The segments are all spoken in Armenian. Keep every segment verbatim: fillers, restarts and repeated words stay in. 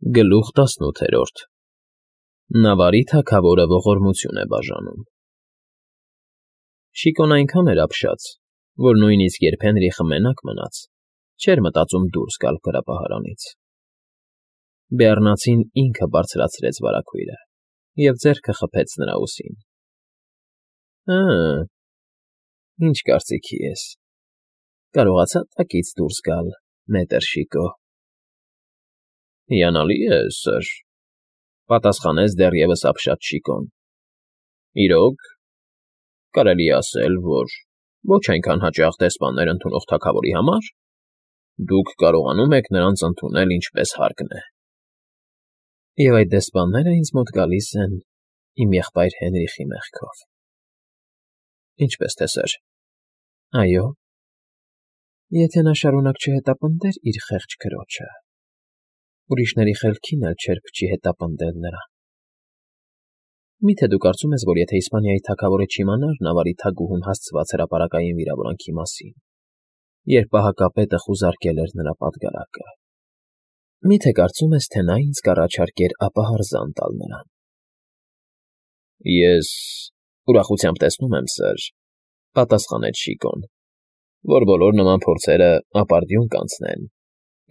Գլուխ տասնութերորդ Նավարի թագավորը ողորմություն է բաժանում։ Շիկոն այնքան էր ապշած, որ նույնիսկ երբ Հենրիխը մենակ մնաց, չէր մտածում դուրս գալ գրապահարանից։ Բեառնացին ինքը բարձրացրեց վարագույրը և ձեռքը խփեց նրա ուսին։ Հը՜, ինչ կարծիքի ես, կարողացա՞ տակից դուրս գալ, մետր Շիկո։ Հիանալի է, սըր,֊ պատասխանեց դեռևս ապշած Շիկոն։ Իրոք, կարելի է ասել, որ ոչ այնքան հաճախ դեսպաններ ընդունող թագավորի համար դուք կարողանում եք նրանց ընդունել ինչպես հարկն է։ Եվ այդ դեսպանները ինձ մոտ գալիս են իմ եղբայր Հենրիխի մեղքով։ Ինչպես թե, սըր։ Այո, եթե նա շարունակ չհետապնդեր իր խեղճ քրոջը, ուրիշների խելքին էլ չէր փչի հետապնդել նրան։ Մի՞թե դու կարծում ես, որ եթե Իսպանիայի թագավորը չիմանար Նավարի թագուհուն հասցված հրապարակային վիրավորանքի մասին, երբ պահակապետը խուզարկել էր նրա պատգարակը, մի՞թե կարծում ես, թե նա ինձ կառաջարկեր ապահարզան տալ նրան։ Ես ուրախությամբ տեսնում եմ, սըր, պատասխանեց Շիկոն, որ բոլոր նման փորձերը ապարդյուն կանցնեն,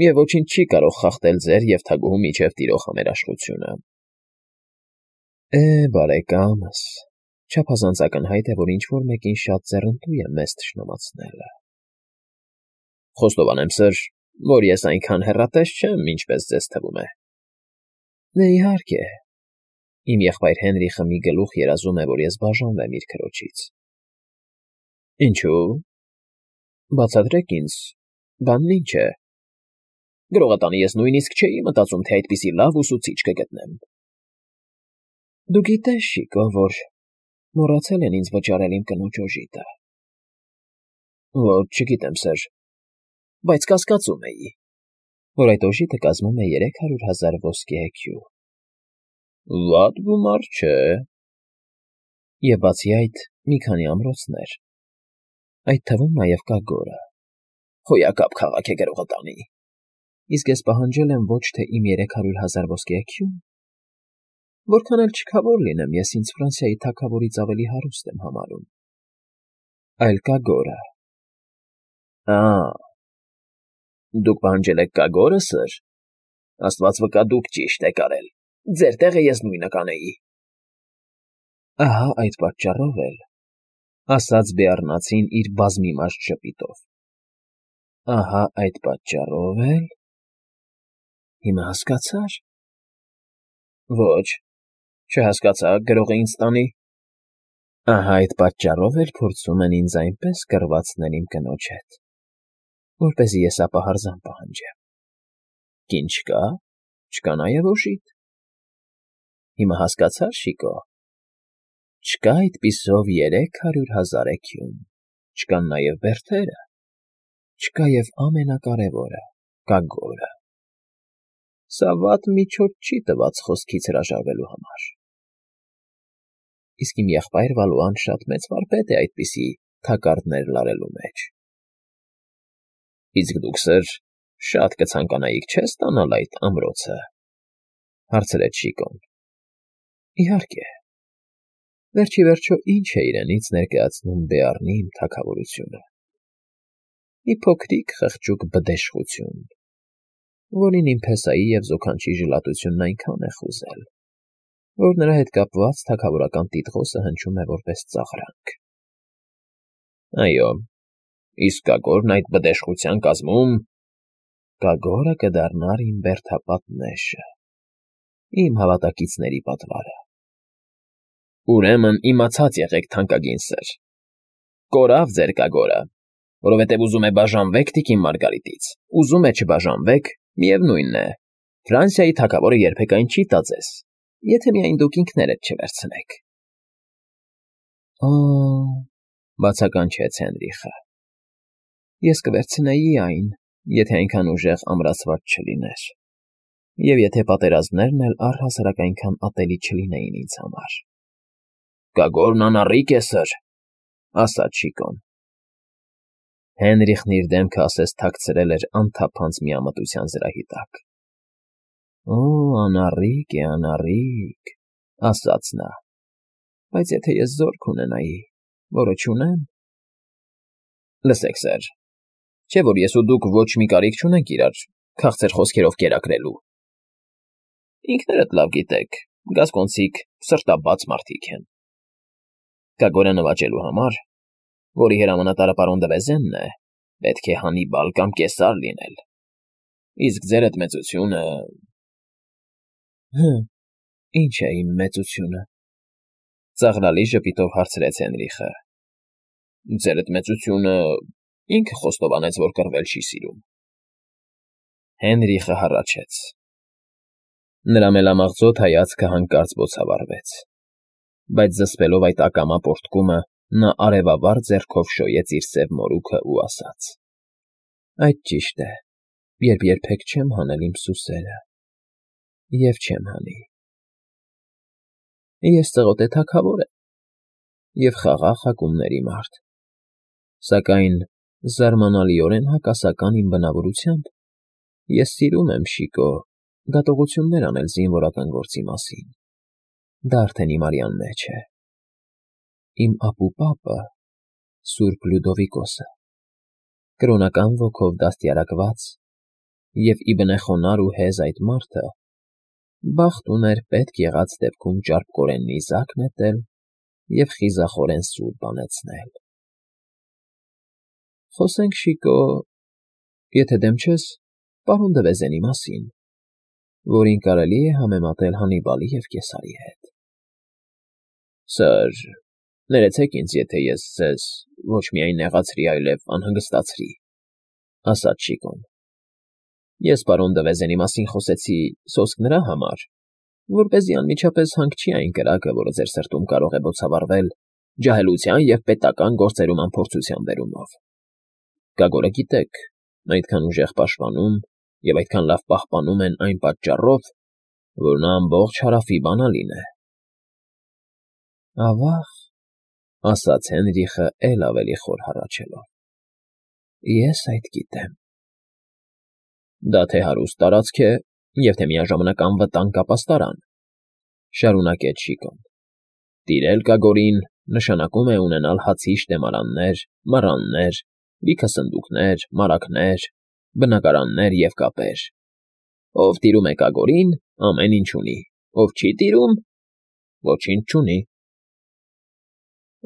և ոչինչ չի կարող խախտել ձեր և թագուհու միջև տիրող համերաշխությունը։ Է, բարեկամս, չափազանց ակնհայտ է, որ ինչ֊որ մեկին շատ ձեռնտու է մեզ թշնամացնելը։ Խոստովանեմ, սըր, որ ես այնքան հեռատես չեմ, ինչպես ձեզ թվում է։ Դե, իհարկե, իմ եղբայր Հենրիխը մի գլուխ երազում է, որ ես բաժանվեմ իր քրոջից։ Ինչո՞ւ։ Բացատրեք ինձ, բանն ինչ է։ Գրողատանի ես նույնիսկ չէի մտածում, թե այդպիսի լավ ուսուցիչ կգտնեմ։ Դու գիտես, Շիկո, որ մոռացել են ինձ վճարել իմ կնոջ օժիտը։ Ոչ, չգիտեմ, սըր, բայց կասկածում էի, որ այդ օժիտը կազմում է երեք հարյուր հազար ոսկե էքյու։ Վատ գումար չէ։ Եվ բացի այդ, մի քանի ամրոցներ, այդ թվում նաև Կագորը։ Հոյակապ քաղաք է գրողատանի։ Իսկ ես պահանջել եմ ոչ թե իմ երեք հարյուր հազար ոսկե էքյուն, որքան էլ չքավոր լինեմ, ես ինձ Ֆրանսիայի թագավորից ավելի հարուստ եմ համարում, այլ Կագորը։ Ա՜, դուք պահանջել եք Կագորը, սըր։ Աստված վկա, դուք ճիշտ եք արել, ձեր տեղը ես նույնը կանեի։ Ահա այդ պատճառով էլ, ասաց Բեառնացին իր բազմիմաստ ժպիտով, ահա այդ պատճառով էլ… Հիմա հասկացա՞ր։ Ոչ, չհասկացա, գրողը ինձ տանի։ Ահա այդ պատճառով էլ փորձում են ինձ այնպես կռվածնել իմ կնոջ հետ, որպեսզի ես ապահարզան պահանջեմ։ Կին չկա, չկա նաև օժիտ։ Հիմա հասկացա՞ր, Շիկո։ Չկա այդպիսով երեք հարյուր հազար էքյուն, չկան նաև բերդերը, չկա և ամենակարևորը՝ Կագորը։ Սա վատ միջոց չի տված խոսքից հրաժարվելու համար։ Իսկ իմ եղբայր Վալուան շատ մեծ վարպետ է այդպիսի թակարդներ լարելու մեջ։ Իսկ դուք, սըր, շատ կցանկանայիք, չէ՞, ստանալ այդ ամրոցը, հարցրեց Շիկոն։ Իհարկե, վերջիվերջո ինչ է իրենից ներկայացնում Բեառնի իմ թագավորությունը։ Մի փոքրիկ խղճուկ բդեշխություն, որին իմ փեսայի և զոքանչի ժլատությունն այնքան է խուզել, որ նրա հետ կապված թագավորական տիտղոսը հնչում է որպես ծաղրանք։ Այո, իսկ Կագորն այդ բդեշխության կազմում… Կագորը կդառնար իմ բերդապատ նեշը, իմ հավատակիցների պատվարը։ Ուրեմն իմացած եղեք, թանկագին սըր, կորավ ձեր Կագորը, որովհետև ուզում է բաժանվեք տիկին Մարգարիտից, ուզում է չբաժանվեք, միևնույն է, Ֆրանսիայի թագավորը երբեք այն չի տա ձեզ, եթե միայն դուք ինքներդ չվերցնեք։ Օ՜, բացականչեց Հենրիխը, ես կվերցնեի այն, եթե այնքան ուժեղ ամրացված չլիներ, և եթե պատերազմներն էլ առհասարակ այնքան ատելի չլինեին ինձ համար։ Կագորն անառիկ է, սըր, ասաց Շիկոն։ Հենրիխն իր դեմքը ասես թաքցրել էր անթափանց միամտության զրահի տակ։ Օ, անառիկ է, անառիկ, ասաց նա, բայց եթե ես զորք ունենայի, որը չունեմ… Լսեք, սեր, չէ՞ որ ես ու դուք ոչ մի կարիք չունենք իրար քաղցր խոսքերով կերակրելու… Ինքներդ լավ գիտեք, գասկոնցիք սրտաբաց մարդիկ են… Կագորը նվաճելու համար, որի հրամանատարը պարոն Դվեզենն է, պետք է Հանիբալ կամ Կեսար լինել, իսկ ձեր էդ մեծությունը… Հը, ի՞նչ է իմ մեծությունը,֊ ծաղրալի ժպիտով հարցրեց Հենրիխը։ Ձեր էդ մեծությունը… ինքը խոստովանեց, որ կռվել չի սիրում… Հենրիխը հառաչեց։ Նրա մելամաղձոտ հայացքը հանկարծ բոցավառվեց, բայց զսպելով այդ ակամա պոռթկումը, նա արևավառ ձեռքով շոյեց իր սև մորուքը ու ասաց. Այդ ճիշտ է, երբ երբեք չեմ հանել իմ սուսերը, և չեմ հանի… Ես ծղոտե թագավոր եմ և խաղաղ հակումների մարդ, սակայն, զարմանալիորեն հակասական իմ բնավորությամբ, ես սիրում եմ, Շիկո, դատողություններ անել զինվորական գործի մասին, դա արդեն իմ արյան մեջ է… Իմ ապուպապը, սուրբ Լյուդովիկոսը, կրոնական ոգով դաստիարակված և իբնեխոնար ու հեզ այդ մարդը, բախտ ուներ պետք եղած դեպքում ճարպկորեն նիզակ նետել և խիզախորեն սուր բանեցնել… Խոսենք, Շիկո, եթե դեմ չես, պարոն Դվեզենի մասին, որին կարելի է համեմատել Հանիբալի և Կեսարի հետ… Սըր, ներեցեք ինձ, եթե ես ձեզ ոչ միայն նեղացրի, այլև անհանգստացրի, ասաց Շիկոն… Ես պարոն Դվեզենի մասին խոսեցի սոսկ նրա համար, որպեսզի անմիջապես հանք չի այն կրակը, որը ձեր սրտում կարող է բոցավառվել ջահելության և պետական գործերում անփորձության բերումով… Կագորը գիտեք, այդքան ուժեղ պաշտպանում և այդքան լավ պահպանում են այն պատճառով, որ նա ամբողջ Հարավի բանալին է… Ավա՜ղ,֊ ասաց Հենրիխը էլ ավելի խոր հառաչելով,֊ ես այդ գիտեմ… Դա թե հարուստ տարածք է և թե միաժամանակ անվտանգ ապաստարան,֊ շարունակեց Շիկոն,֊ տիրել Կագորին նշանակում է ունենալ հացի շտեմարաններ, մառաններ, լիքը սնդուկներ, մարագներ, բնակարաններ և կապեր… Ով տիրում է Կագորին, ամեն ինչ ունի, ով չի տիրում, ոչինչ չունի…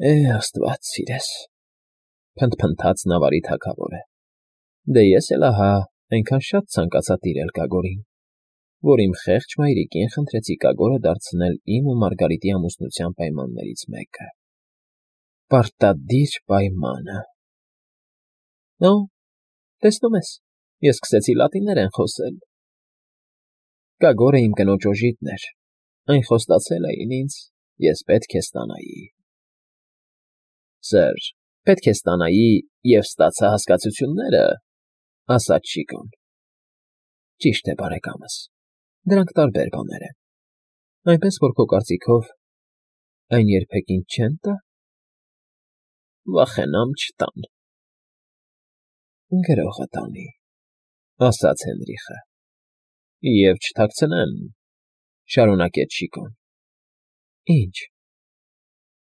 Է, աստված սիրես,֊ փնթփնթաց նավարի թագավորը,֊ դե ես էլ ահա այնքան շատ ցանկացա տիրել Կագորին, որ իմ խեղճ մայրիկին խնդրեցի Կագորը դարձնել իմ ու Մարգարիտի ամուսնության պայմաններից մեկը… Պարտադիր պայմանը… Օ, տեսնում ես, ես սկսեցի լատիներեն խոսել… Կագորը իմ կնոջ օժիտն էր, այն խոստացել էին ինձ, ես պետք է ստանայի… Սըր, պետք է ստանայի և ստացա հասկացությունները,֊ ասաց Շիկոն։ Ճիշտ է, բարեկամս, դրանք տարբեր բաներ են, այնպես որ քո կարծիքով այն երբեք ինձ չեն տա… Վախենամ չտան… Գրողը տանի,֊ ասաց Հենրիխը։ Եվ չթաքցնեմ,֊ շարունակեց Շիկոն։ Ինչ…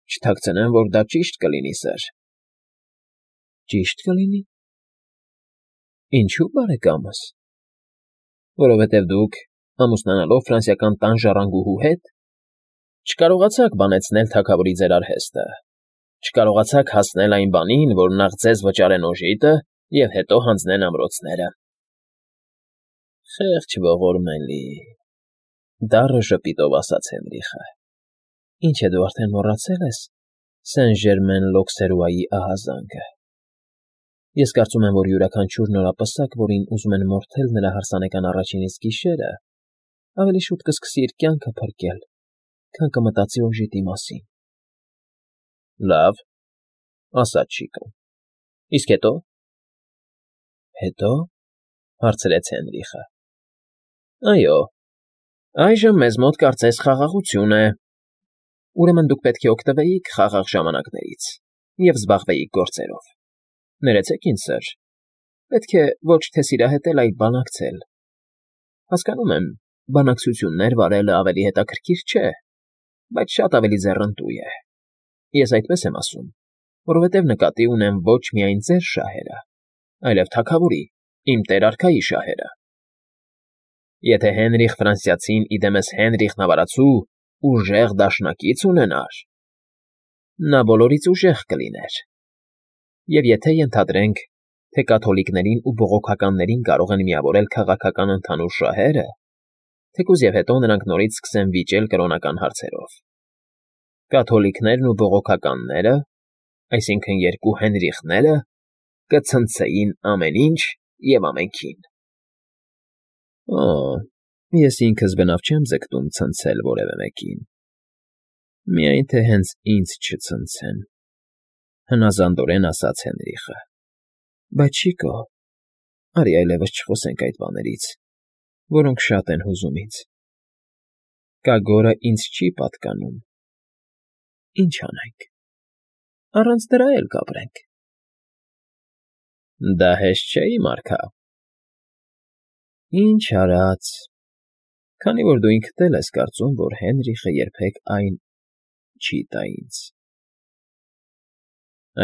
Չթաքցնեմ, որ դա ճիշտ կլինի, սըր… Ճիշտ կլինի… Ինչո՞ւ, բարեկամս… Որովհետև դուք, ամուսնանալով ֆրանսիական տան ժառանգուհու հետ, չկարողացաք բանեցնել թագավորի ձեր արհեստը, չկարողացաք հասնել այն բանին, որ նախ ձեզ վճարեն օժիտը և հետո հանձնեն ամրոցները… Խեղճ ողորմելի,֊ դառը ժպիտով ասաց Հենրիխը,֊ Ինչ է, դու արդեն մոռացել ես Սեն֊Ժերմեն֊Լոքսերուայի ահազանգը… Ես կարծում եմ, որ յուրաքանչյուր նորապսակ, որին ուզում են մորթել նրա հարսանեկան առաջին իսկ գիշերը, ավելի շուտ կսկսի իր կյանքը փրկել, քան կմտածի օժիտի մասին… Լավ,֊ ասաց Շիկոն,֊ իսկ հետո… Հետո՞, հարցրեց Հենրիխը։ Այո, այժմ մեզ մոտ կարծես խաղաղություն է… Ուրեմն դուք պետք է օգտվեիք խաղաղ ժամանակներից և զբաղվեիք գործերով… Ներեցեք ինձ, սըր, պետք է ոչ թե սիրահետել, այլ բանակցել… Հասկանում եմ, Բանակցություններ վարելը ավելի հետաքրքիր չէ, բայց շատ ավելի ձեռնտու է։ Ես այդպես եմ ասում, որովհետև նկատի ունեմ ոչ միայն ձեր շահերը, այլև թագավորի, իմ տեր֊արքայի շահերը։ Եթե Հենրիխ Ֆրանսիացին իդեմս Հենրիխ Նավարացու ուժեղ դաշնակից ունենար, նա բոլորից ուժեղ կլիներ։ Եվ եթե ենթադրենք, թե կաթոլիկներին ու բողոքականներին կարող են միավորել քաղաքական ընդհանուր շահերը, թեկուզ և հետո նրանք նորից սկսեն վիճել կրոնական հարցերով։ Կաթոլիկներն ու բողոքականները, այսինքն երկու Հենրիխները, կցնցեին ամեն ինչ և ամենքին։ Օ, ես ինքս բնավ չեմ ձգտում ցնցել որևէ մեկին, միայն թե հենց ինձ չցնցեն, հնազանդորեն ասաց Հենրիխը։ Բայց շիկո, արի այլևս չխոսենք այդ բաներից, որոնք շատ են հուզում ինձ։ Կագորը ինձ չի պատկանում։ Ինչ անենք, առանց դրա էլ կապրենք։ Դա հեշտ չէ, իմ արքա։ Ինչ արած, քանի որ դու ինքդ էլ ես կարծում, որ Հենրիխը երբեք այն չի տա ինձ։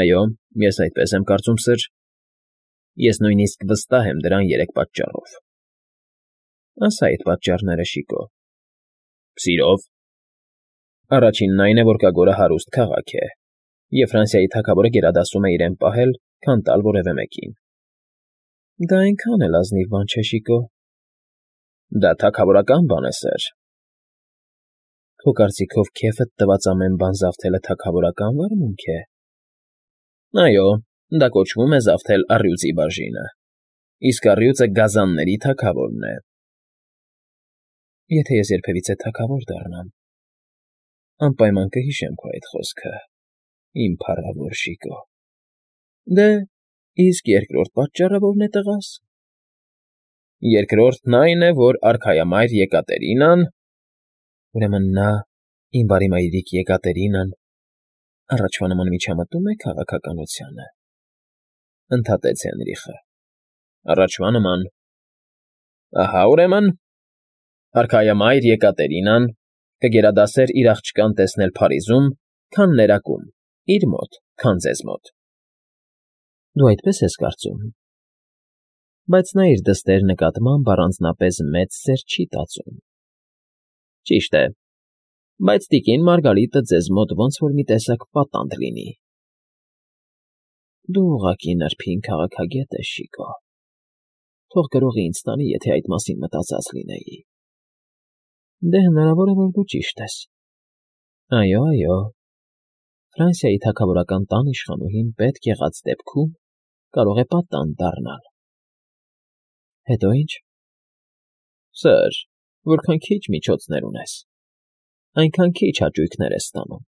Այո, ես այդպես եմ կարծում, սըր։ Ես նույնիսկ վստահ եմ դրան երեք պատճառով։ Ասա այդ պատճառները, շիկո։ Սիրով։ Առաջինն այն է, որ Կագորը հարուստ քաղաք է, և Ֆրանսիայի թագավորը գերադասում է իրեն պահել, քան տալ որևէ մեկին։ Դա այնքան էլ ազնիվ բան չէ, շիկո։ Դա թագավորական բան է, սըր։ Քո կարծիքով քեֆդ տված ամեն բան զավթելը թագավորական վարմունք է։ Այո, դա կոչվում է զավթել առյուծի բաժինը, իսկ առյուծը գազանների թագավորն է։ Եթե ես երբևիցե թագավոր դառնամ, անպայման կհիշեմ քո այդ խոսքը, իմ փառավոր շիկո։ Դե, իսկ երկրորդ պատճառը ո՞րն է, տղաս։ Երկրորդն այն է, որ արքայամայր Եկատերինան… Ուրեմն նա, իմ բարի մայրիկ Եկատերինան, առաջվա նման միջամտում է քաղաքականությանը, ընդհատեց Հենրիխը։ Առաջվա նման… Ահա, ուրեմն, արքայամայր Եկատերինան կգերադասեր իր աղջկան տեսնել Փարիզում, քան ներակում, իր մոտ, քան ձեզ մոտ։ Դու այդպես ես կարծում, բայց նա իր դստեր նկատմամբ առանձնապես մեծ սեր չի տածում։ Ճիշտ է, բայց տիկին Մարգարիտը ձեզ մոտ ոնց որ մի տեսակ պատանդ լինի։ Դու ուղղակի նրբին քաղաքագետ ես, շիկո։ Թող գրողի ինձ տանի, եթե այդ մասին մտածած լինեի։ Դե հնարավոր է, որ դու ճիշտ ես։ Այո, այո, Ֆրանսիայի թագավորական տան իշխանուհին պետք եղած դեպքում կարող է պատանդ դառնալ։ Հետո ինչ։ Սըր, որքան քիչ միջոցներ ունես, այնքան քիչ հաճույքներ ես ստանում։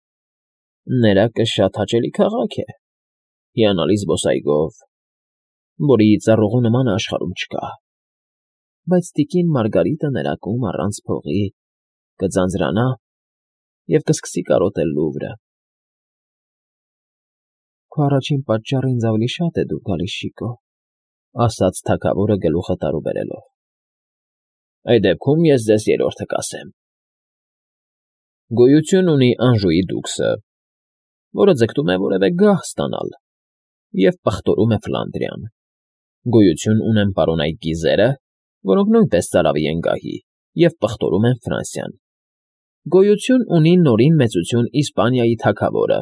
Ներակը շատ հաճելի քաղաք է, հիանալի զբոսայգով, որի ծառուղու նմանը աշխարհում չկա, բայց տիկին Մարգարիտը ներակում առանց փողի կձանձրանա և կսկսի կարոտել Լուվրը։ Քո առաջին պատճառը ինձ ավելի շատ է դուր գալիս, շիկո, ասաց թագավորը գլուխը տարուբերելով։ Այդ դեպքում ես ձեզ երրորդը կասեմ։ Գոյություն ունի Անժուի դուքսը, որը ձգտում է որևէ գահ ստանալ և պղտորում է Ֆլանդրիան։ Գոյություն ունեն պարոնայք գիզերը, որոնք նույնպես ծարավի են գահի և պղտորում են Ֆրանսիան։ Գոյություն ունի նորին մեծություն Իսպանիայի թագավորը,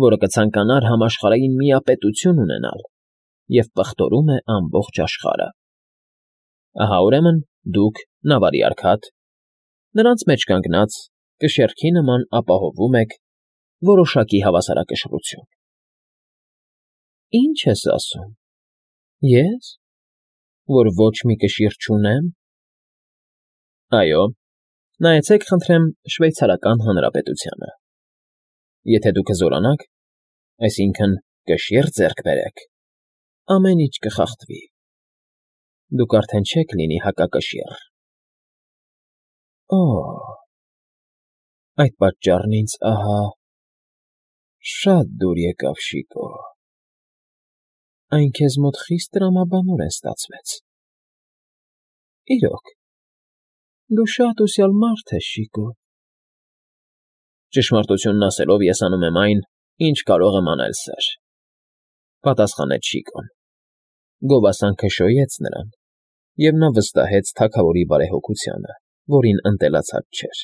որը կցանկանար համաշխարհային միապետություն ունենալ և պղտորում է ամբողջ աշխարհը։ Ահա, ուրեմն, դուք, Նավարի արքատ, նրանց մեջ կանգնած, կշեռքի նման ապահովում եք որոշակի հավասարակշռություն։ Ի՞նչ ես ասում։ Ե՞ս, որ ոչ մի կշիռ չունեմ։ Այո, նայեցեք, խնդրեմ, Շվեյցարական Հանրապետությանը։ Եթե դուք կզորանաք, այսինքն կշիռ ձեռք բերեք, ամեն ինչ կխախտվի։ Դուք արդեն չեք լինի հակակշիռ։ Օ՜, այդ պատճառն ինձ, ահա, շատ դուր եկավ, շիկո։ Այն քեզ մոտ խիստ տրամաբանորեն ստացվեց։ Իրոք, Դու շատ ուշյալ մարդ ես, Շիկո։ ֊ Ճշմարտությունն ասելով, ես անում եմ այն, ինչ կարող եմ անել, սըր,֊ պատասխանեց Շիկոն։ Գովասանքը շոյեց նրան, և նա վստահեց թագավորի բարեհոգությանը, որին ընտելացած չէր։